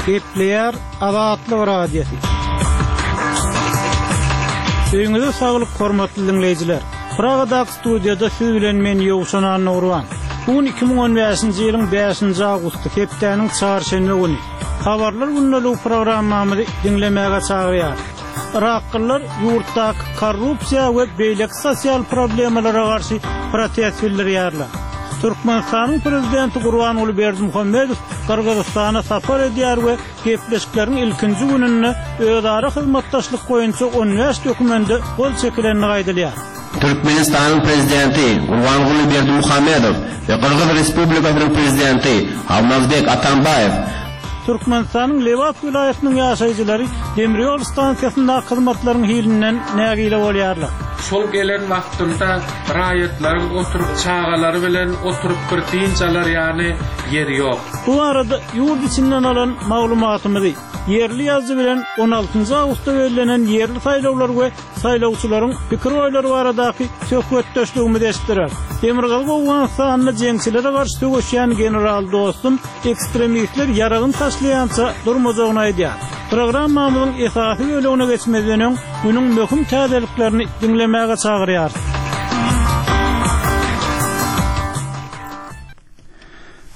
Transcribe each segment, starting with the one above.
Gepleýär Azatlyk Radiosy. Öýüňize saglyk hormatly diňleýjiler. Pragadaky studiýada siz bilen men Ýowşan Annagurban. Bu gün 2015-nji ýylyň 5-nji awgusty, hepdäniň çarşenbe güni. Habarlar gündeligi programmamyzy diňlemäge çagyrýar. Yraklylar ýurtdaky korrupsiýa we beýleki sosial problemalara garşy protest bildirýärler. Türkmenistanyň Prezidenti Gurbanguly Berdimuhamedow Gyrgyzystana sapar edýär we gepleşikleriň ilkinji gününde özara hyzmatdaşlyk boýunça 15 dokumende gol çekilendigi aýdylýar. Türkmenistanyň Prezidenti Gurbanguly Berdimuhamedow we Gyrgyz Respublikasynyň Prezidenti Almazbek Atambaýew Türkmenistanyň Lebap welaýatynyň ýaşaýjylary demir ýol stansiýasyndaky hyzmatlaryň hilinden nägile bolýarlar. Şol gelen wagtynda raýatlaryň oturyp çagalary bilen oturyp bir dynç alar ýaly ýeri ýok. Bu barada ýurt içinden alan maglumatymyzy ýerli ýazyjy bilen on altynjy awgustda bellenen ýerli saýlawlar we saýlawçylaryň pikir-oýlary baradaky söhbetdeşligimizi eşitdirer. Demirgazyk Owganystanda jeňçilere garşy söweşýän general Dostum ekstremistler ýaragyny taşlaýança durmajagyny aýdýar. Programmamyzyň esasy bölegine geçmezden öň, günüň möhüm täzeliklerini diňlemäge çagyrýarys.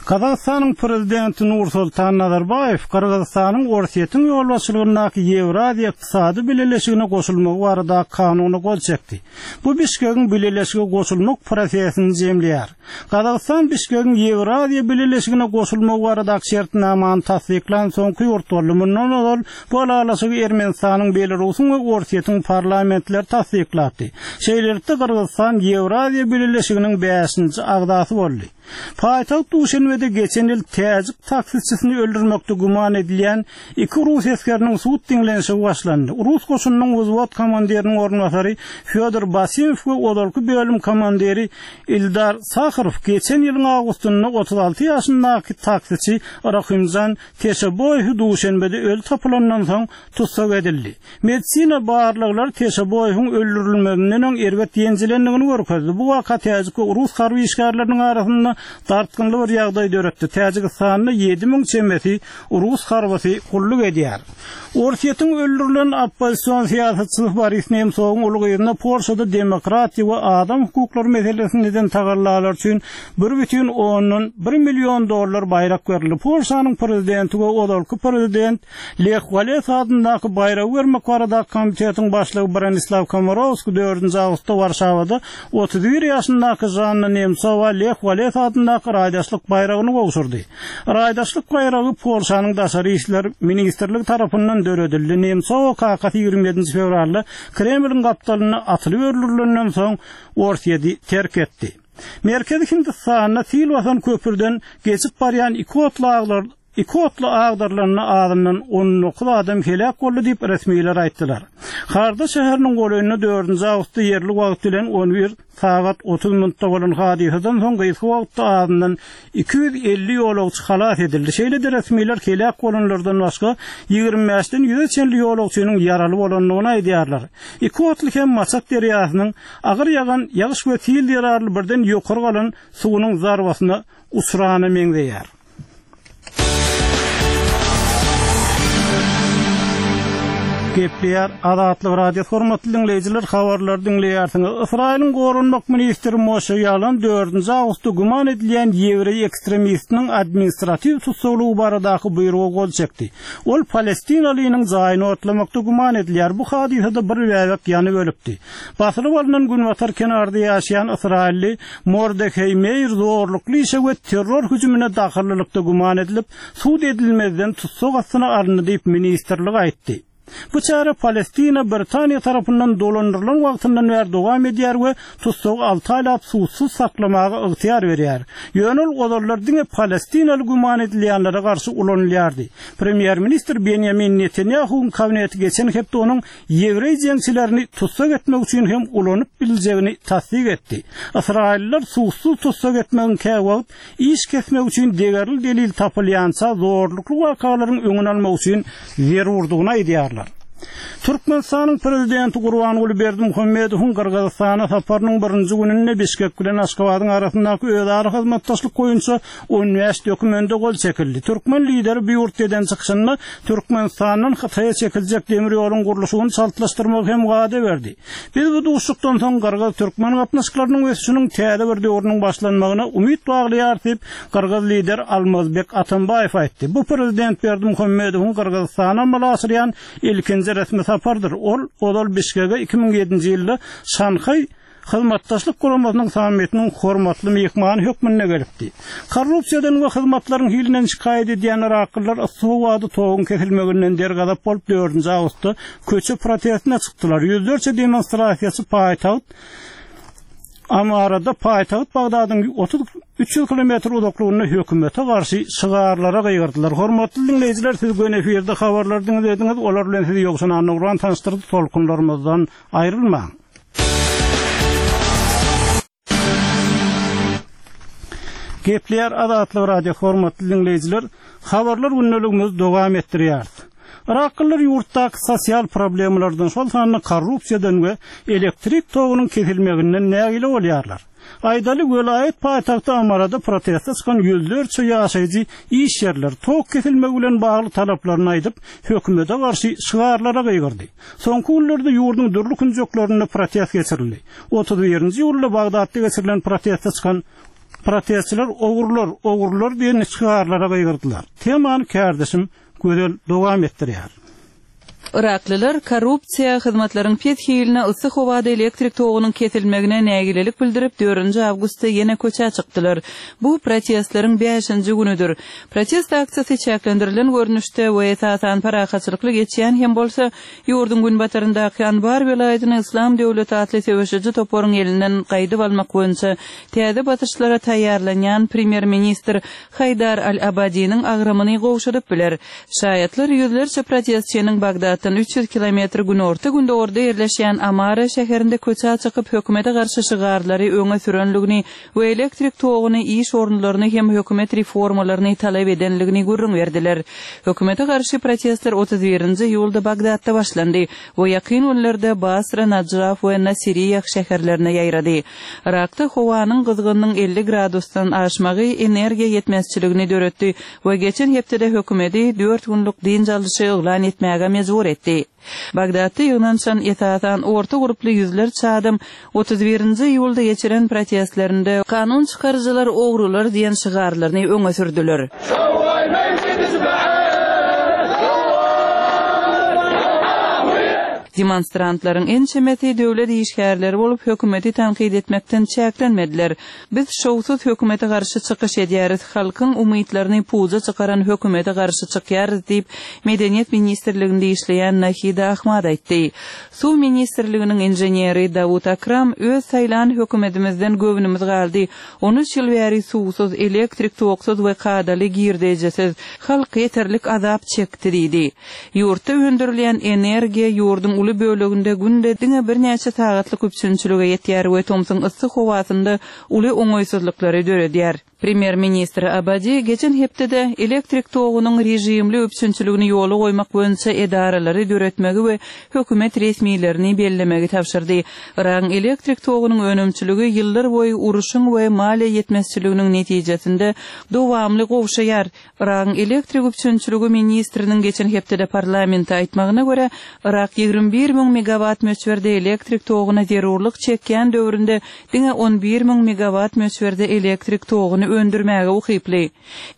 Gazagystanyň Prezidenti Nursultan Nazarbaýew Gyrgyzystanyň Orsýetiň ýolbaşçylygyndaky Ýewraziýa Ykdysady Bileleşigine goşulmagy baradaky kanuna gol çekdi. Bu Bişkegiň bileleşige goşulmak prosesini jemleýär. Gazagystan Bişkegiň Ýewraziýa Bileleşigine goşulmagy baradaky şertnamany tassyklan soňky ýurt boldy. Mundan ozal bu ylalaşygy Ermenistanyň, Belarusyň we Orsýetiň parlamentleri tassyklapdy. Şeýlelikde, Gyrgyzystan Ýewraziýa Bileleşiginiň bäşinji agzasy boldy. Paýtagt Duşenbede geçen ýyl täjik taksiçisini öldürmekde güman edilýän iki rus esgeriniň sud diňlenişigi başlandy. Rus goşunynyň wzwod komandiriniň orunbasary Fýodor Basimow we ozalky bölüm komandiri Ildar Saharow geçen ýylyň awgustynda 36 ýaşyndaky taksiçi Rahymjan Teşeboýewi Duşenbede öli tapylandan soň tussag edildi. Medisina barlaglary Teşeboýewiň öldürilmezinden öň erbet ýenjilendigini görkezdi. Bu waka täjik we rus harby işgärleriniň arasynda dartgynly bir ýagdaý döretdi. Täjigistanda 7000 çemesi rus harbysy gulluk edýär. Orsýetiň öldürilen oppozision syýasatçysy Boris Nemsowyň uly gyzyna Polşada demokratiýa we adam hukuklary meselesinde eden tagallalary üçin bir bütin ondan bir million dollar baýrak berildi. Polşanyň prezidenti we ozalky prezident Leh Walesa adyndaky baýragy bermek baradaky komitetiň başlygy Bronislaw Komorowski dördünji awgustda Warşawada 31 ýaşyndaky Žanna Nemsowa Leh Walesa adyndaky raýdaşlyk baýragyny gowşurdy. Raýdaşlyk baýragy Polşanyň Daşary işler ministrligi tarapyndan döredildi. Nemsowa kakasy 27-nji fewralda Kremliň gapdalynda atylyp öldürilenden soň Orsýeti terk etdi. Merkezi Hindistanda sil basan köprüden geçip barýan iki otly Iki otly agdarylanda azyndan 19 adam heläk boldy diýip, resmiler aýtdylar. Harda şäheriniň golaýynda dördünji awgustda ýerli wagt bilen 11 sagat 30 minutda bolan hadysadan soň gysga wagtda azyndan 250 ýolagçy halas edildi. Şeýle-de resmiler heläk bolanlardan başga 25-den ýüze çenli ýolagçynyň ýaraly bolandygyny aýdýarlar. Iki otly hem Maçak derýasynyň agyr ýagan ýagyş we sil zerarly birden ýokary galan suwunyň zarbasyna uçrana meňzeýär. Gepleýär Azatlyk Radiosy hormatly diňleýjiler habarlary diňleýärsiňiz. Ysraýylyň goranmak ministri Moşe Ýalan dördünji awgustda güman edilýän ýewreý ekstremistiniň administratiw tussaglygy baradaky buýruga gol çekdi. Ol palestinalynyň jaýyny otlamakda güman edilýär. Bu hadysada bir bäbek ýanyp ölüpdi. Basylyp alnan Günbatar kenarda ýaşaýan ysraýylly Mordeheý Meýr zorlukly işe we terror hüjümine dahyllylykda güman edilip, sud edilmezden tussag astyna alyndy diýip, ministrlik aýtdy. Bu çäre Palestina Britaniýa tarapyndan dolandyrylan wagtyndan bäri dowam edýär we tussagy alty aýlap sudsuz saklamaga ygtyýar berýär. Ýöne ol ozallar diňe palestinaly güman edilýänlere garşy ulanylýardy. Premýer-ministr Benýamin Netanýahuwyň kabineti geçen hepde onuň ýewreý jeňçilerini tussag etmek üçin hem ulanyp biljegini tassyk etdi. Ysraýyllylar sudsuz tussag etmegiň käwagt iş kesmek üçin degerli delil tapylýança zorlukly wakalaryň öňüni almak üçin zerurdygyny aýdýarlar. Türkmenistanyň Prezidenti Gurbanguly Berdimuhamedowyň Gyrgyzystana saparynyň birinji gününde Bişkek bilen Aşgabadyň arasyndaky özara hyzmatdaşlyk boýunça 15 dokumende gol çekildi. Türkmen Lideri bu ýurtda eden çykyşynda Türkmenistandan Hytaýa çekiljek demir ýoluň gurluşygyny çaltlaşdyrmagy hem wada berdi. Biz bu duşuşykdan soň gyrgyz-türkmen gatnaşyklarynyň ösüşiniň täze bir döwrüniň başlanmagyna umyt baglaýarys diýip, gyrgyz Lideri Almazbek Atambaýew aýtdy. Bu prezident Berdimuhamedowyň Gyrgyzystana amala aşyrýan ilkinji resmi saparydyr. Ol ozal Bişkege 2007-nji ýylda Şanhaý Hyzmatdaşlyk Guramasynyň sammitiniň hormatly myhmany hökmünde gelipdi. Korrupsiýadan we hyzmatlaryň hilinden şikaýat edýän yraklylar yssy howada toguň kesilmeginden dergazap bolup dördünji awgustda köçe protestine çykdylar. Ýüzlerçe demonstrasiýaçy paýtagt Amarada paýtagt Bagdadyň 33 kilometr uzaklygynda hökümete garşy şygarlara gygyrdylar. Hormatly diňleýjiler, siz göni efirde habarlary diňlediňiz, olar bilen sizi Ýowşan Annagurban tanyşdyrdy, tolkunlarymyzdan aýrylmaň. Gepleýär Azatlyk Radio hormatly diňleýjiler, habarlar gündeligimizi dowam etdirýäris. Yraklylar ýurtdaky sosial problemalardan, şol sanda korrupsiýadan we elektrik togunyň kesilmeginden nägile bolýarlar. Aýdaly, welaýat paýtagty Amarada proteste çykan ýüzlerçe ýaşaýjy iş ýerleri, tok kesilmegi bilen bagly talaplaryny aýdyp, hökümete garşy şygarlara gygyrdy. Soňky günlerde ýurduň dürli künjeklerinde protest geçirildi. 31-nji iýulda Bagdatda geçirilen proteste çykan protestçiler Ogrular, ogrular diýen şygarlara gygyrdylar. Temany kärdeşim Gözel dowam etdirýär. Yraklylar korrupsiýa, hyzmatlaryň pes hiline, yssy howada elektrik togunyň kesilmegine nägilelik bildirip, dördünji awgustda ýene köçä çykdylar. Bu protestleriň bäşinji günüdir. Protest aksiýasy çäklendirilen görnüşde we esasan parahatçylykly geçýän hem bolsa, ýurduň günbataryndaky Anbar welaýatyny Yslam döwleti atly söweşiji toparyň elinden gaýdyp almak boýunça täze basyşlara taýýarlanýan premýer-ministr Haýdar al-Abadiniň agramyny gowşadyp biler. Şaýatlar ýüzlerçe protestçiniň Bagdatdan 300 kilometr günorta-gündogarda ýerleşýän Amara şäherinde köçä çykyp hökümete garşy şygarlary öňe sürenligini we elektrik toguny, iş orunlaryny hem hökümet reformalaryny talap edenligini gürrüň berdiler. Hökümete garşy protestler 31-nji iýulda Bagdatda başlandy we ýakyn günlerde Basra, Najaf we Nasiriýah şäherlerine ýaýrady. Yrakda howanyň gyzgynynyň 50 gradusdan aşmagy energiýa ýetmezçiligini döretdi we geçen hepdede hökümeti dört günlük dynç alyşy yglan etmäge mejbur etdi. Bagdatda ýygnanyşan esasan orta gurply ýüzlerçe adam 31-nji iýulda geçiren protestlerinde Kanun çykaryjylar ogrular diýen şygarlaryny öňe sürdüler. Demonstrantlaryň ençemesi döwlet işgärleri bolup, hökümeti tankyt etmekden çäklenmediler. Biz şowsuz hökümete garşy çykyş edýäris, halkyň umytlaryny puja çykaran hökümete garşy çykýarys diýip, Medeniýet ministrliginde işleýän Nahida Ahmad aýtdy. Suw ministrliginiň inženeri Dawut Akram öz saýlan hökümetimizden göwnümiz galdy, on üç ýyl bäri suwsuz, elektrik toksuz we kadaly girdejisiz halk ýeterlik azap çekdi diýdi. Ýurtda öndürilýän energiýa ýurduň uly böleginde günde diňe birnäçe sagatlyk üpjünçilige ýetýär we tomsuň yssy howasynda uly oňaýsyzlyklary döredýär. Premýer-ministr Abadi geçen hepdede elektrik togunyň režimli üpjünçiligini ýola goýmak boýunça edaralary döretmegi we hökümet resmilerini bellemegi tabşyrdy. Yragyň elektrik togunyň önümçiligi ýyllar boýy uruşyň we maliýe ýetmezçiliginiň netijesinde dowamly gowşaýar. Yragyň elektrik üpjünçiligi ministriniň geçen hepdede parlamentde aýtmagyna görä, Yrak 21 müň megawatt möçberde elektrik toguna zerurlyk çekýän döwründe diňe 11 müň megawatt möçberde elektrik toguny öndürmäge ukyply.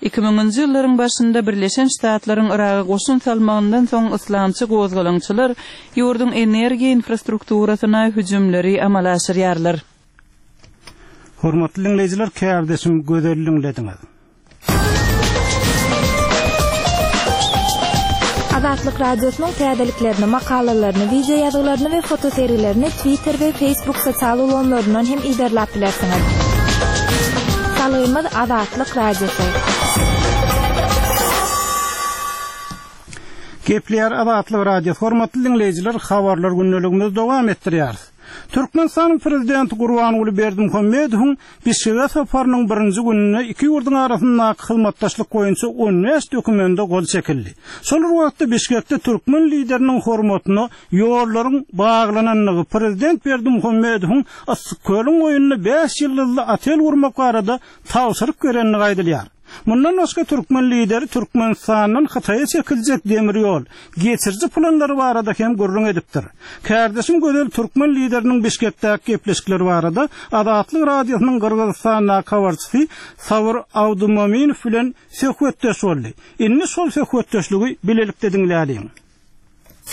Iki müňünji ýyllaryň başynda Birleşen Ştatlaryň Yraga goşun salmagyndan soň yslamçy gozgalaňçylar ýurduň energiýa infrastrukturasyna hüjümleri amala aşyrýarlar. Hormatly diňleýjiler, kärdeşim Gözel diňlediňiz. Azatlyk Radiosynyň täzeliklerini, makalalaryny, wideo ýazgylaryny we fotosergilerini Twitter we Facebook sosial ulgamlaryndan hem yzarlap bilersiňiz. Salgymyz Azatlyk Radiosy. Gepleýär Azatlyk Radiosy. Hormatly diňleýjiler, habarlar gündeligimizi dowam etdirýäris. Türkmenistanyň Prezidenti Gurbanguly Berdimuhamedowyň Bişkege saparynyň birinji gününde iki ýurduň arasyndaky hyzmatdaşlyk boýunça 15 dokumende gol çekildi. Şol bir wagtda Bişkekde türkmen Lideriniň hormatyna ýollaryň baglanandygy, Prezident Berdimuhamedowyň Yssykkölüň goýnunda bäş ýyldyzly otel gurmak barada tabşyryk berendigi aýdylýar. Mundan başga türkmen Lideri Türkmenistandan Hytaýa çekiljek demir ýol, geçiriji planlary barada hem gürrüň edipdir. Kärdeşim Gözel türkmen Lideriniň Bişkekdäki gepleşikleri barada Azatlyk Radiosynyň Gyrgyzystandaky habarçysy Sabyr Abdumominow bilen söhbetdeş boldy. Indi şol söhbetdeşligi bilelikde diňläliň.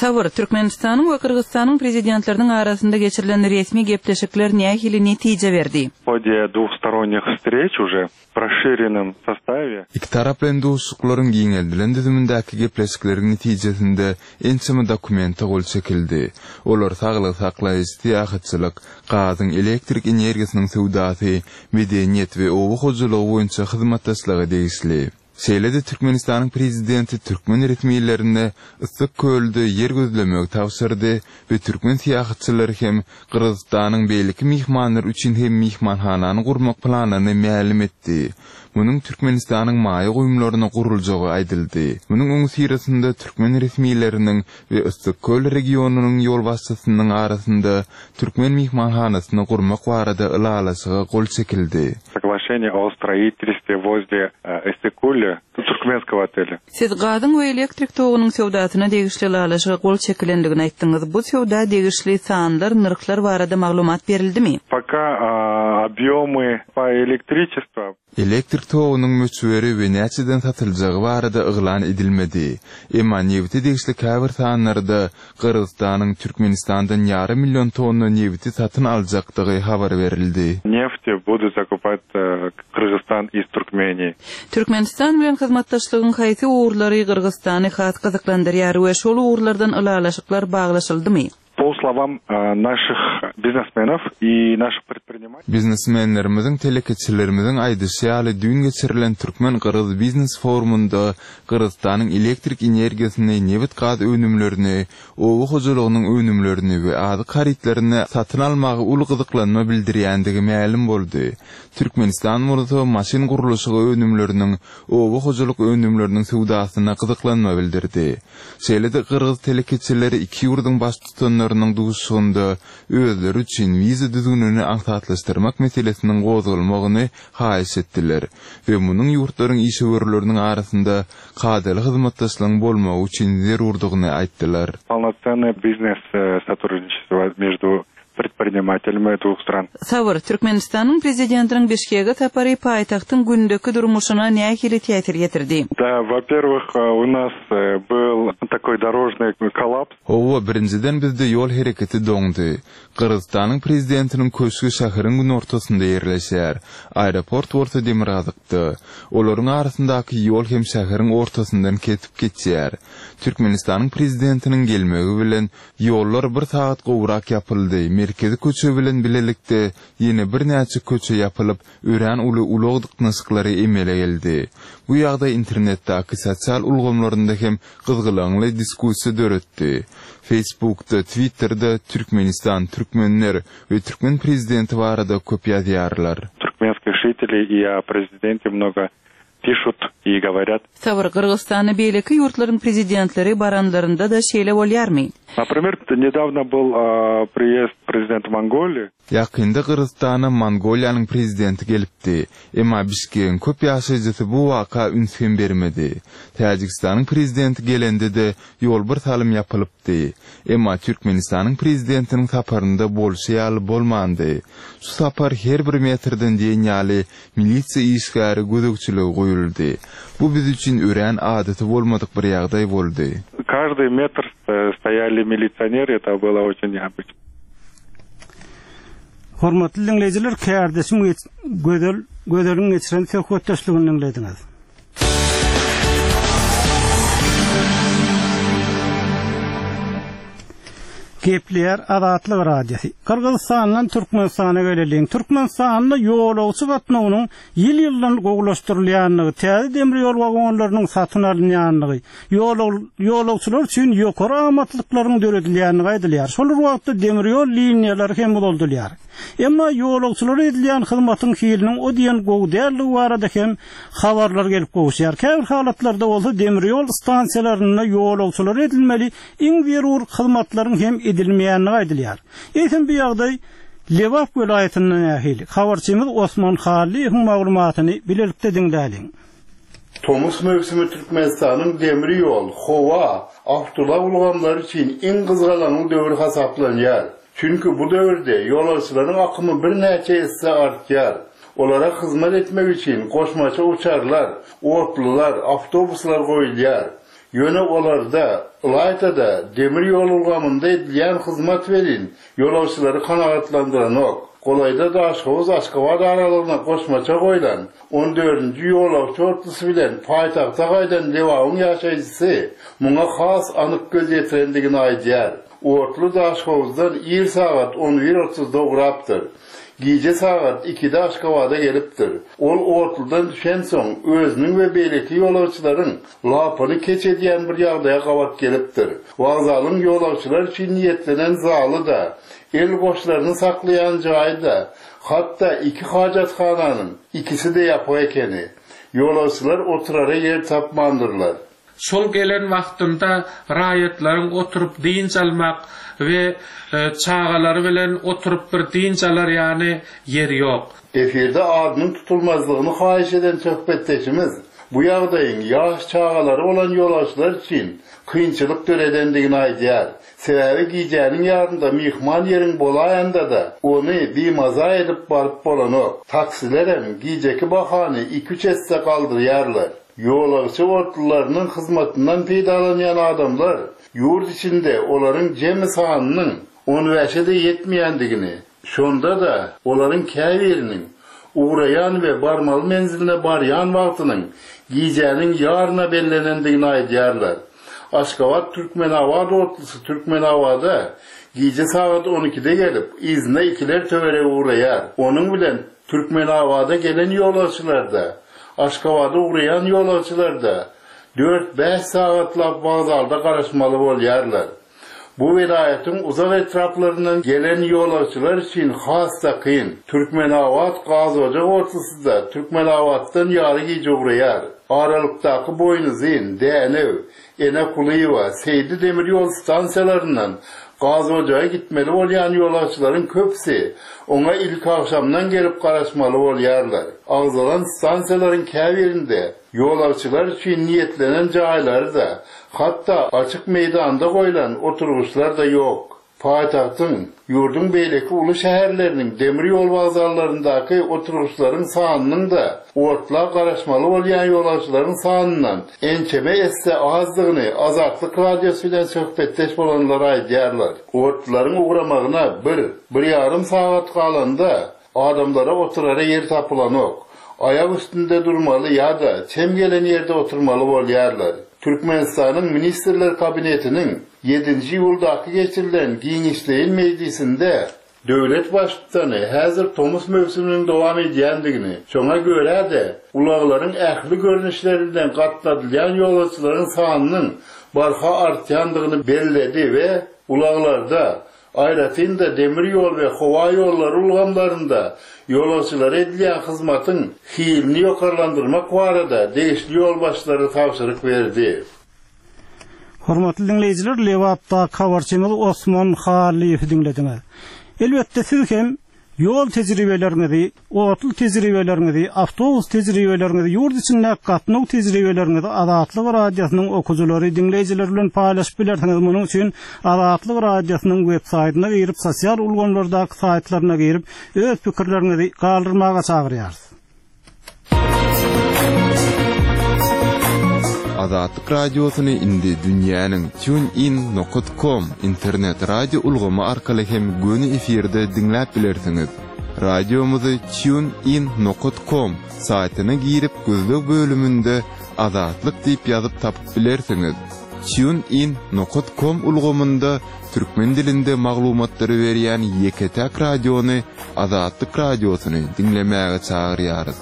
Sabyr, Türkmenistanyň we Gyrgyzystanyň Prezidentleriniň arasynda geçirilen resmi gepleşikler nähili netije berdi? W hode dwuhstoronnih wstreç uje w rasşirenom sostawe. Ikitaraplaýyn duşuşyklaryň giňeldilen düzümindäki gepleşikleriň netijesinde ençeme dokumente gol çekildi. Olar saglygy saklaýyş, syýahatçylyk, gazyň, elektrik energiýasynyň söwdasy, medeniýet we oba hojalygy boýunça hyzmatdaşlyga degişli. Şeýle-de Türkmenistanyň Prezidenti türkmen resmilerine Yssyk kölde ýer gözlemegi tabşyrdy we türkmen syýahatçylary hem Gyrgyzystanyň beýleki myhmanlary üçin hem myhmanhanany gurmak planyny mälim etdi. Munuň Türkmenistanyň maýa goýumlaryna guruljagy aýdyldy. Munuň öňüsyrasynda türkmen resmileriniň we Yssyk köl regionynyň ýolbaşçysynyň arasynda türkmen myhmanhanasyny gurmak barada ylalaşyga gol çekildi. Soglaşenie o stroitelstwe wozle Issyk-Kulya turkmenskogo otelya. Siz gazyň we elektrik togunyň söwdasyna degişli ylalaşyga gol çekilendigini aýtdyňyz. Bu söwda degişli sanlar, nyrhlar barada maglumat berildimi? Poka obýomy po elektriçestwo. Elektrik togunyň möçberi we näçeden satyljagy barada yglan edilmedi. Emma nebite degişli käbir sanlarda Gyrgyzystanyň Türkmenistandan ýarym million tonna nebiti satyn aljakdygy habar berildi. Nefti budut zakupat Kyrgyzstan iz Turkmenii. Türkmenistan bilen hyzmatdaşlygyň haýsy ugurlary Gyrgyzystany has gyzyklandyrýar we şol ugurlardan ylalaşyklar baglaşyldymy? Po slowam naşih biznesmenow i naşih predprinimateliý. Biznesmenlerimiziň, telekeçilerimiziň aýdyşy ýaly, düýn geçirilen türkmen-gyrgyz biznes forumynda Gyrgyzystanyň elektrik energiýasyny, nebit-gaz önümlerini, oba hojalygynyň önümlerini we azyk harytlaryny satyn almaga uly gyzyklanma bildirýändigi mälim boldy. Türkmenistan bolsa maşyn gurluşygy önümleriniň, oba hojalyk önümleriniň söwdasyna gyzyklanma bildirdi. Şeýle-de gyrgyz telekeçileri iki ýurduň baştutanlarynyň duşuşygynda özleri üçin wiza düzgünini aňsatlaşdyrmak meselesiniň gozgalmagyny haýyş etdiler we munuň ýurtlaryň işewürleriniň arasynda kadaly hyzmatdaşlygyň bolmagy üçin zerurdygyny aýtdylar. Polnocennoe biznes sotrudniçestvo между predprinimatelymi dwuh stran. Sabyr, Türkmenistanyň Prezidentiniň Bişkege sapary paýtagtyň gündeki durmuşyna nähili täsir ýetirdi? Da, wo-perwih, u nas byl takoý dorožnyý kollaps. Hawa, birinjiden bizde ýol hereketi doňdy. Gyrgyzystanyň Prezidentiniň köşgi şäheriň günortasynda ýerleşýär, aeroport bolsa demirgazykda. Olaryň arasyndaky ýol hem şäheriň ortasyndan kesip geçýär. Türkmenistanyň Prezidentiniň gelmegi bilen Ýollar bir sagat gowrak ýapyldy, merkezi köçe bilen bilelikde ýene birnäçe köçe ýapylyp, örän uly ulag dyknyşyklary emele geldi. Bu ýagdaý internetdäki sosial ulgamlarynda hem gyzgalaňly diskussiýa döretdi. Facebookda, Twitterde Türkmenistan, türkmenler we türkmen prezidenti barada köp ýazýarlar. Turkmenskih žiteley i o prezidente mnogo Pişut i goworýat. Sabyr, Gyrgyzystana beýleki ýurtlaryň prezidentleri baranlarynda-da şeýle bolýarmy? Naprimer, nedawno byl priýezd prezidenta Mongoliýi. Ýakynda Gyrgyzystana Mongoliýanyň prezidenti gelipdi. Emma Bişkegiň köp ýaşaýjysy bu waka üns hem bermedi. Täjigistanyň prezidenti gelende-de ýol bir salym ýapylypdy. Emma Türkmenistanyň prezidentiniň saparynda bolşy ýaly bolmandy. Şu sapar her bir metrden diýen ýaly Milisiýa işgäri gözegçilige goýuldy. Bu biz üçin örän adaty bolmadyk bir ýagdaý boldy. Každyý metr stoýali milisioner eta bylo oçin neobyçno. Hormatly diňleýjiler, kärdeşim Gözel Gözeliň geçiren söhbetdeşligini diňlediňiz. Gepleýär Azatlyk Radiosy. Gyrgyzystandan Türkmenistana geleliň. Türkmenistanda ýolagçy gatnawynyň ýyl-ýyldan gowulaşdyrylýandygy, täze demir ýol wagonlarynyň satyn alynýandygy, ýolagçylar üçin ýokary amatlyklaryň döredilýändigi aýdylýar. Şol bir wagtda demir ýol liniýalary hem uzaldylýar. Emma ýolagçylara edilýän hyzmatyň hiliniň o diýen gowy däldigi barada hem habarlar gelip gowuşýar. Käbir halatlarda bolsa demir ýol stansiýalarynda ýolagçylara edilmeli iň zerur hyzmatlaryň hem edilmeýändigi aýdylýar. Eýsem bu ýagdaý Lebap welaýatynda nähili? Habarçymyz Osman Hallyýewiň maglumatyny bilelikde diňläliň. Tomus möwsümi Türkmenistanyň demir ýol, howa, awtoulag ulgamlary üçin iň gyzgalaňly döwür hasaplanýar. Çünki bu döwürde ýolagçylaryň akymy birnäçe esse artýar. Olara hyzmat etmek üçin goşmaça uçarlar, otlular, awtobuslar goýulýar. Ýöne olarda, ylaýta-da, demir ýol ulgamynda edilýän hyzmat welin, ýolagçylary kanagatlandyranok. Golaýda Daşhowuz-Aşgabat aralygyna goşmaça goýlan on dördünji ýolagçy otlusy bilen paýtagta gaýdan Lebabyň ýaşaýjysy muňa has anyk göz ýetirendigini aýdýar. Otly Daşhowuzdan ir sagat on bir otuzda ugrapdyr. Gije sagat ikide Aşgabada gelipdir. Ol otludan düşensoň, özüniň we beýleki ýolagçylaryň lapyny keç edýän bir ýagdaýa gabat gelipdir. Wokzalyň ýolagçylar üçin niýetlenen zaly-da, el goşlaryny saklaýan jaýy-da, hatda iki hajathananyň ikisi-de ýapyk ekeni. Ýolagçylar oturara ýer tapmandyrlar. Şol gelen wagtynda raýatlaryň oturyp dynç almak we çagalary bilen oturyp bir dynç alar ýany ýer ýok. Efirde adynyň tutulmazlygyny haýyş eden söhbetdeşimiz bu ýagdaýyň ýaş çagalary bolan ýolagçylar üçin kynçylyk döredendigini aýdýar. Sebäbi gijäniň ýarynda myhman ýeriň bolaýanda-da, ony bimaza edip baryp bolanok. Taksilerem gijeki bahany iki-üç esse galdyrýarlar. Ýolagçy otlularynyň hyzmatyndan peýdalanýan adamlar ýurt içinde olaryň jemi sanynyň on bäşe-de ýetmeýändigini, şonda-da olaryň käbiriniň ugraýan we barmaly menziline barýan wagtynyň gijäniň ýaryna bellenendigini aýdýarlar. Aşgabat-Türkmenabat otlusy Türkmenabada gije sagat on ikide gelip, yzyna ikiler töweregi ugraýar. Onuň bilen Türkmenabada gelen ýolagçylar-da, Aşgabada ugraýan ýolagçylar-da dört-bäş sagatlap wokzalda garaşmaly bolýarlar. Bu welaýatyň uzak etraplaryndan gelen ýolagçylar üçin has-da kyn. Türkmenabat gazojak otlusy-da Türkmenabatdan ýary gije ugraýar. Aralykdaky Boýnuzyn, Dänew, Ene Kulyýewa, Seýdi demir ýol stansiýalaryndan Gazojaga gitmeli bolýan ýolagçylaryň köpüsi oňa ilkagşamdan gelip garaşmaly bolýarlar. Agzalan stansiýalaryň käbirinde ýolagçylar üçin niýetlenen jaýlary-da, hatda açyk meýdanda goýlan oturgyçlar-da ýok. Paýtagtyň, ýurduň beýleki uly şäherleriniň demir ýol wokzallaryndaky oturgyçlaryň sanynyň-da otla garaşmaly bolýan ýolagçylaryň sanyndan ençeme esse azdygyny Azatlyk Radiosy bilen söhbetdeş bolanlar aýdýarlar. Otlularyň ugramagyna bir, bir ýarym sagat galanda, Adamlara oturara ýer tapylanok. Aýak üstünde durmaly ýa-da çem gelen ýerde oturmaly bolýarlar. Türkmenistanyň Ministrler Kabinetiniň ýedinji iýuldaky geçirilen giňişleýin mejlisinde döwlet Baştutany häzir tomus möwsüminiň dowam edýändigini, şoňa görä-de, ulaglaryň ähli görnüşlerinden gatnadylýan ýolagçylaryň sanynyň barha artýandygyny belledi we ulaglarda Aýratyn-da, demir ýol we howa ýollary ulgamlarynda ýolagçylara edilýän hyzmatyň hilini ýokarlandyrmak barada degişli ýolbaşçylara tabşyryk berdi. Hormatly diňleýjiler, Lebapdaky habarçymyz Osman Hallyýewi diňlediňiz. Elbetde, siz hem Ýol tejribeleriňizi, otly tejribeleriňizi, awtobus tejribeleriňizi, ýurt içindäki gatnaw tejribeleriňizi Azatlyk Radiosynyň okyjylary, diňleýjileri bilen paýlaşyp bilersiňiz. Munuň üçin Azatlyk Radiosynyň web saýtyna girip, sosial ulgamlardaky saýtlaryna girip, öz pikirleriňizi galdyrmaga çagyrýarys. Azatlyk Radiosyny indi dünýäniň TuneIn nokat kom internet radio ulgamy arkaly hem göni efirde diňläp bilersiňiz. Radiomyzy TuneIn nokat kom saýtyna girip gözleg bölüminde Azatlyk diýip ýazyp tapyp bilersiňiz. TuneIn nokat kom ulgamynda türkmen dilinde maglumatlary berýän ýeke-täk radiony Azatlyk Radiosyny diňlemäge çagyrýarys.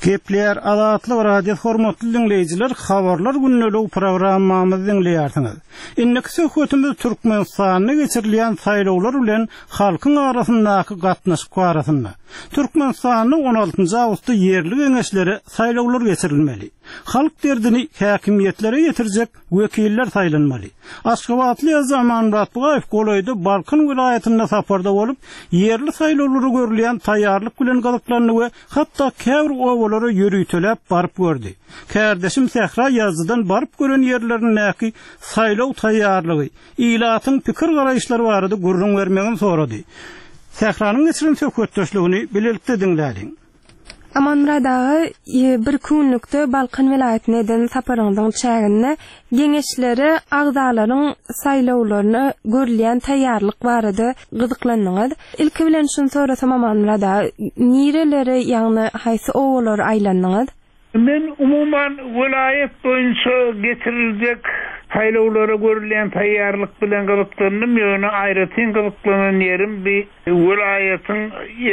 Gepleýär Azatlyk Radiosy hormatly diňleýjiler habarlar gündeligi programmamyzy diňleýärsiňiz. Indiki söhbetimiz Türkmenistanda geçirilýän saýlawlar bilen halkyň arasyndaky gatnaşyk barasynda. Türkmenistanda on altynjy awgustda ýerli geňeşlere saýlawlar geçirilmeli. Halk derdini häkimiýetlere ýetirjek wekiller saýlanmaly. Aşgabatly ýazyjy Amanmyrat Bugaýew golaýda Balkan welaýatynda saparda bolup, ýerli saýlawlara görülýän taýýarlyk bilen gyzyklandy we hatda käbir obalara ýöriteläp baryp gördi. Kärdeşim Sähra ýazyjydan baryp gören ýerlerindäki saýlaw taýýarlygy, ilatyň pikir-garaýyşlary barada gürrüň bermegini sorady. Sähranyň geçiren söhbetdeşligini bilelikde diňläliň. Amanmyrat aga, birki günlükde Balkan welaýatyna eden saparyňyzyň çäginde geňeşlere agzalaryň saýlawlaryna görülýän taýýarlyk barada gyzyklandyňyz. Ilki bilen şuny sorasam Amanmyrat aga, nirelere, ýagny haýsy obalara aýlandyňyz? Men umuman welaýat boýunça geçiriljek saýlawlara görülýän taýýarlyk bilen gyzyklandym, ýöne aýratyn gyzyklanan ýerim bi welaýatyň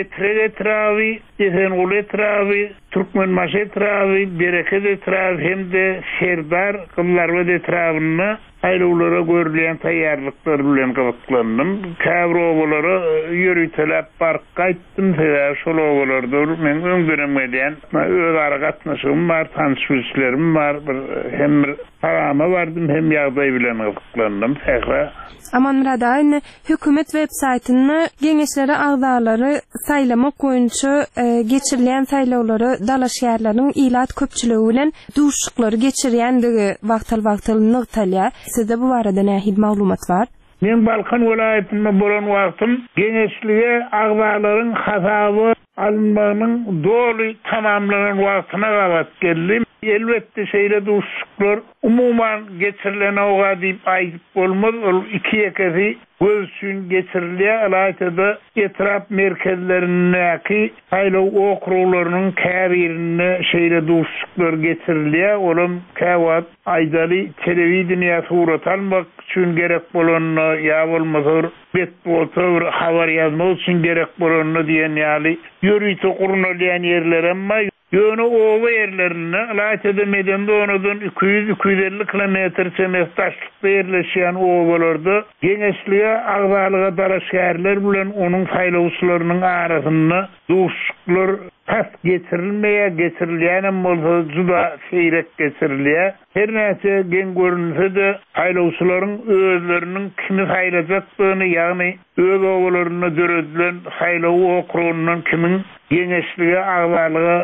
Etrek etraby, Esenguly etraby, Türkmenbaşy etraby, Bereket etraby hem-de Serdar, Gyzylarbat etrabynda Saýlawlara görülýän taýýarlyklar bilen gyzyklandym. Käbir obalara ýöriteläp baryp gaýtdym, sebäbi şol obalarda bir meň öňdenem gelýän özara gatnaşygym bar, tanyş-bilişlerim bar, bir hem bir parama bardym, hem ýagdaý bilen gyzyklandym. Sähra. Amanmyrat aga, indi Hökümet web saýtynda Geňeşlere agzalary saýlamak boýunça geçirilýän saýlawlara dalaşgärleriň ilat köpçüligi bilen duşuşyklary geçirýändigi wagtal-wagtal nygtalýar. Sizde bu barada nähili maglumat bar? Meň Balkan welaýatynda bolan wagtym Geňeşlige agzalaryň hasaba alynmagynyň doly tamamlanan wagtyna gabat geldi. Elbetde, şeýle duşuşyklar umuman geçirilenog-a diýip aýdyp bolmaz, ol iki-ýekesi göz üçin geçirilýär, ylaýta-da etrap merkezlerindäki saýlaw okruglarynyň käbirinde şeýle duşuşyklar geçirilýär, olam käwagt aýdaly telewideniýä surat almak üçin gerek bolanda ýa bolmasa bir metbugata bir habar ýazmak üçin gerek bolanda diýen ýaly ýörite gurnalýan ýerlerem bar. Ýöne oba ýerlerinde, ylaýta-da medeni zonadan 200, 250 kilometr çemesi daşlykda ýerleşýän obalarda geňeşlige agzalyga dalaşgärler bilen onuň saýlawçylarynyň arasynda duşuşyklar tas geçirilmeýär, geçirilýänem bolsa juda seýrek geçirilýär. Her näçe geň görünse-de, saýlawçylaryň özleriniň kimi saýlajakdygyny, ýagny öz obalarynda döredilen saýlaw okrugyndan kimiň geňeşlige agzalyga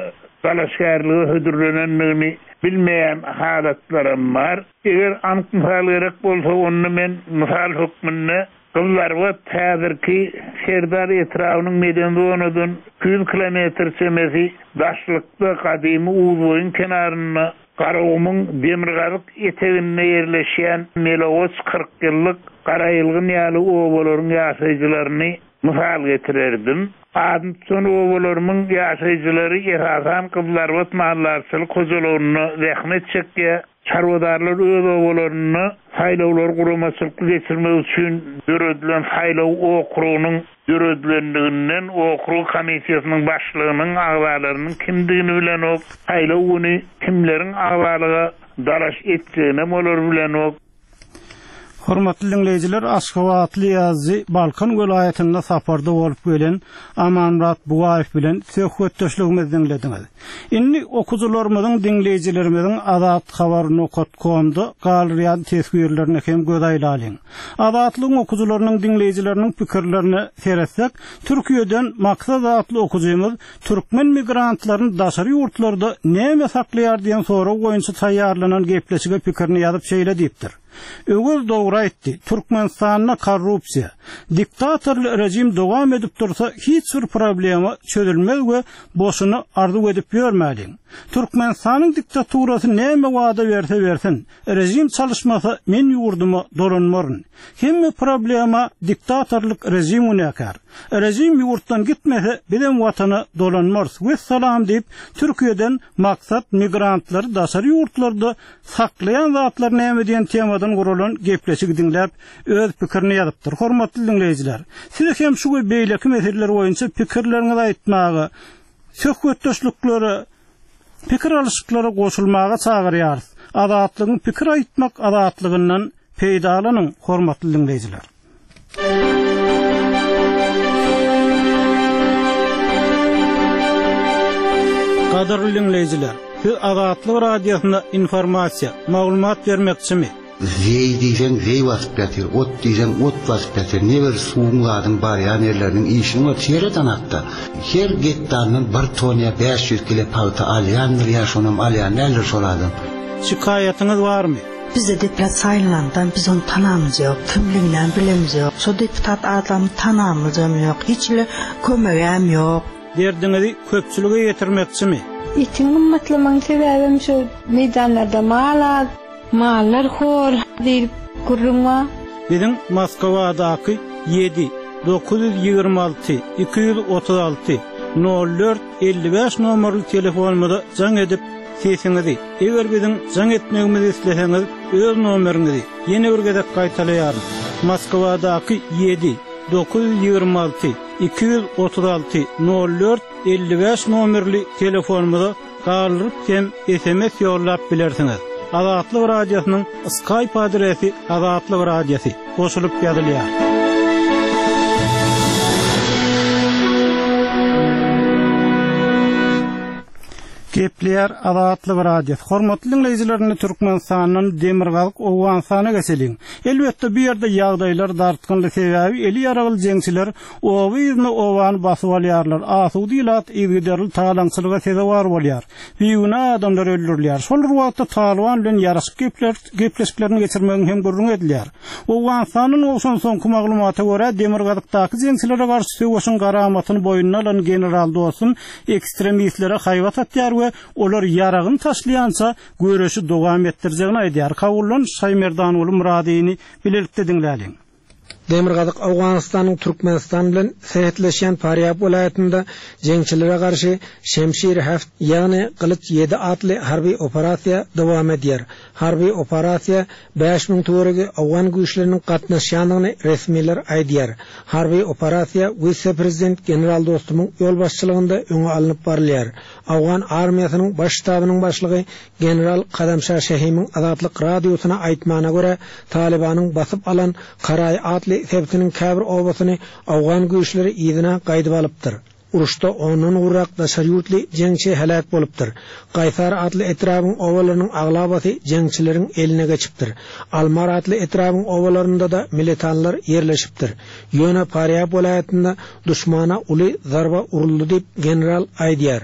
dalaşgärlige hödürlenendigini bilmeýän halatlaram bar. Eger anyk mysal gerek bolsa, onda men mysal hökmünde Gyzlarbat häzirki Serdar etrabynyň medeni zonadan 200 kilometr çemesi daşlykda gadymy Uzboýuň kenarynda Garagumuň demirgazyk eteginde ýerleşýän Melegoç, Kyrkýyllyk, Garaýylgyn ýaly obalaryň ýaşaýjylaryny mysal getirerdim. Adyny tutan obalarymyň ýaşaýjylary esasan Gyzlarbat maldarçylyk hojalygynda zähmet çekýär. Çarwadarlar öz obalarynda saýlawlary guramaçylykly geçirmek üçin döredilen saýlaw okrugynyň döredilendiginden, okrug komissiýasynyň başlygynyň, agzalarynyň kimdigini bilenok, saýlaw güni kimleriň agzalyga dalaş etjeginem olar bilenok. Hormatly diňleýjiler, aşgabatly ýazyjy, Balkan welaýatynda saparda bolup gelen Amanmyrat Bugaýew bilen söhbetdeşligimizi diňlediňiz. Indi okyjylarymyzyň, diňleýjilerimiziň Azathabar nokat komda galdyrýan teswirlerine hem göz aýlalyň. Azatlygyň okyjylarynyň, diňleýjileriniň pikirlerine seretsek, Türkiýeden Maksat atly okyjymyz türkmen migrantlaryny daşary ýurtlarda näme saklaýar diýen sorag boýunça taýýarlanan gepleşige pikirini ýazyp şeýle diýipdir. Öwez dogry aýtdy, Türkmenistanda korrupsiýa, diktatorly rejim dowam edip dursa hiç bir problema çözülmez we boşuna arzuw edip ýörmäliň. Türkmenistanyň diktaturasy näme wada berse bersin, rejim çalyşmasa men ýurduma dolanmaryn. Hemme problema diktatorlyk rejim günäkär. Rejim ýurtdan gitmese bizem watana dolanmarys. Wessalam diýip Türkiýeden Maksat migrantlary daşary ýurtlarda Saklaýan zatlar näme diýen temadan guralan gepleşigi diňläp, öz pikirini ýazypdyr. Hormatly diňleýjiler, sizi hem şu we beýleki meseleler boýunça pikirleriňizi aýtmaga, söhbetdeşliklere, pikir alyşyklara goşulmaga çagyrýarys. Azatlygyň pikir aýtmak azatlygyndan peýdalanyň, hormatly diňleýjiler! Gadyrly diňleýjiler, siz Azatlyk Radiosyna informasiýa, maglumat bermekçimi? Zeý diýseň zeý basyp ýatyr, ot diýseň ot basyp ýatyr, ne bir suwuň zadyň barýan ýerleriniň işini gör, seret anakda. Her gektaryndan bir ton ýa 500 kile pagta alýandyr ýa şonam alýan däldir şol adam. Şikaýatyňyz barmy? Bize deputat saýlanandan biz ony tanamyz ýok, kimliginem bilemiz ýok. Şo deputat adamy tanamyzam ýok, hiç hili kömegem ýok. Derdiňizi köpçülige ýetirmekçimi? Etiň gymmatlamagyň sebäbem şo meýdanlarda mal az, mallar hor diýlip gürrüň bar. Biziň Moskwadaky ýedi, 926 236 04 55 nomerli telefonymyza jaň edip, sesiňizi, eger biziň jaň etmegimizi isleseňiz, öz nomeriňizi, ýene bir gezek gaýtalaýaryn, Moskwadaky ýedi, 926 236 04 55 nomerli telefonymyza galdyryp hem sms ýollap bilersiňiz. Azatlyk Radiosynyň Skype adresi Azatlyk Radiosy goşulyp ýazylýar. Gepleýär Azatlyk Radiosy. Hormatly diňleýjiler indi Türkmenistandan Demirgazyk Owganystana geçeliň. Elbetde bu ýerde ýagdaýlar dartgynly sebäbi eli ýaragly jeňçiler oba yzyna obany basyp alýarlar, asuda ilat yzygiderli talaňçylyga sezewar bolýar. Bigünä adamlar öldürilýär. Şol bir wagtda Talyban bilen ýaraşyk gepleşiklerini geçirmegiň hem gürrüňi edilýär. Owganystandan gowşan soňky maglumata görä, demirgazykdaky jeňçilere garşy söweşiň garamatyny boýnuna alan general Dostum ekstremistlere haýbat atýar we olar ýaragyny taşlaýança göreşi dowam etdirjegini aýdýar. Kabuldan Şaýmerdanguly Myradyny bilelikde diňläliň. Demirgazyk Owganystanyň Türkmenistan bilen serhetleşýän Farýab welaýatynda jeňçilere garşy Şemşir Heft, ýagny Gylyç ýedi atly harby operasiýa dowam edýär. Harby operasiýa 5000 töweregi owgan güýçleriniň gatnaşýandygyny resmiler aýdýar. Harby operasiýa wise-prezident general Dostumyň ýolbaşçylygynda öňe alnyp barylýar. Owgan armiýasynyň baş ştabynyň başlygy General Kadamşa Şehimiň Azatlyk Radiosyna aýtmagyna görä, Talybanyň basyp alan Karaý atly sebitiniň käbir obasyny owgan güýçleri yzyna gaýdyp alypdyr. Uruşda ondan gowrak daşary ýurtly jeňçi heläk bolupdyr. Gaýsar atly etrabyň obalarynyň aglabasy jeňçileriň eline geçipdir. Almar atly etrabyň obalarynda-da militanlar ýerleşipdir. Ýöne Farýab welaýatynda duşmana uly zarba uruldy diýip, general aýdýar.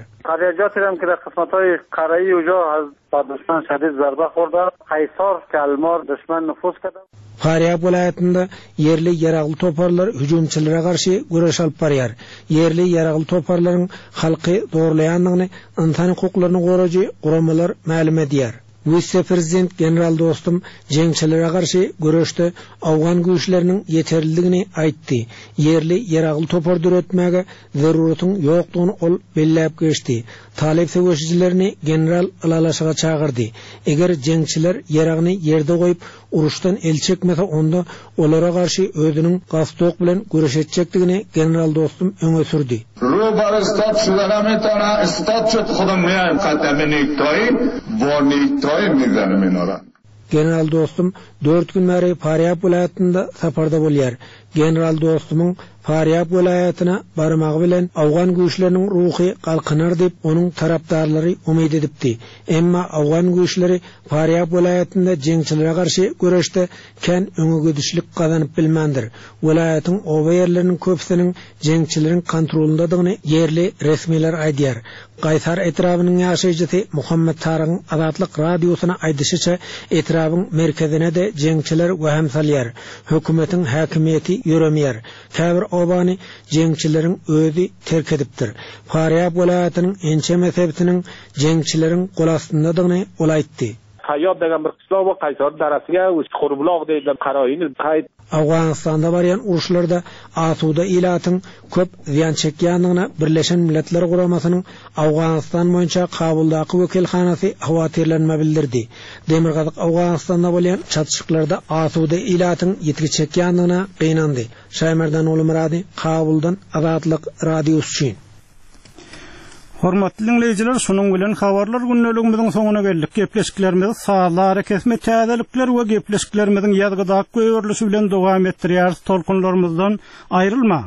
Farýab welaýatynda ýerli ýaragly toparlar hüjümçilere garşy göreş alyp barýar. Ýerli ýaragly toparlaryň halky zorlaýandygyny ynsan hukuklaryny goraýjy guramalar mälim edýär. Wise-prezident general Dostum jeňçilere garşy göreşde owgan güýçleriniň ýeterlidigini aýtdy. Ýerli ýaragly topar döretmäge zeruratyň ýokdugyny ol belläp geçdi. Talyp söweşijilerini general ylalaşyga çagyrdy. Eger jeňçiler ýaragyny ýerde goýup, uruşdan el çekmese onda olara garşy özüniň galstok bilen göreş etjekdigini general Dostum öňe sürdi. Ro bar istat şudana metana istat şut hudam miaýim katame nektoi bo nektoi mizanim inora. General Dostum dört gün bäri Farýab welaýatynda saparda bolýar. General Dostumyň Farýab welaýatyna barmagy bilen owgan güýçleriniň ruhy galkynar diýip, onuň tarapdarlary umyt edipdi. Emma owgan güýçleri Farýab welaýatynda jeňçilere garşy göreşde kän öňegidişlik gazanyp bilmändir. Welaýatyň oba ýerleriniň köpüsiniň jeňçileriň kontrolyndadygyny ýerli resmiler aýdýar. Gaýsar etrabynyň ýaşaýjysy Muhammet Tarygyň Azatlyk Radiosyna aýdyşyça, etrabyň merkezine-de. jeňçiler wehim salýar. Hökümetiň häkimiýeti ýöremeýär. Käbir obany jeňçileriň özi terk edipdir. Farýab welaýatynyň ençeme sebitiniň jeňçileriň golastyndadygyny ol aýtdy. Saýýab degen bir kyşlag bar, Kaýsary darasy ýa Çukurbulag diýilýän Karaýyny Kaý. Owganystanda barýan uruşlarda asuda ilatyň köp zyýan çekýändigine Birleşen Milletler Guramasynyň Owganystan boýunça Kabuldaky wekilhanasy howatyrlanma bildirdi. Demirgazyk Owganystanda bolýan çatyşyklarda asuda ilatyň ýitgi çekýändigine gynandy. Şaýmerdan Gulmyrady, Kabuldan Azatlyk Radiosy üçin. Hormatly diňleýjiler, şunuň bilen habarlar gündeligimiziň soňuna geldik. Gepleşiklerimizi sazly arakesme, täzelikler we gepleşiklerimiziň ýazgydaky goýberilişi bilen dowam etdirýäris. Tolkunlarymyzdan aýrylmaň!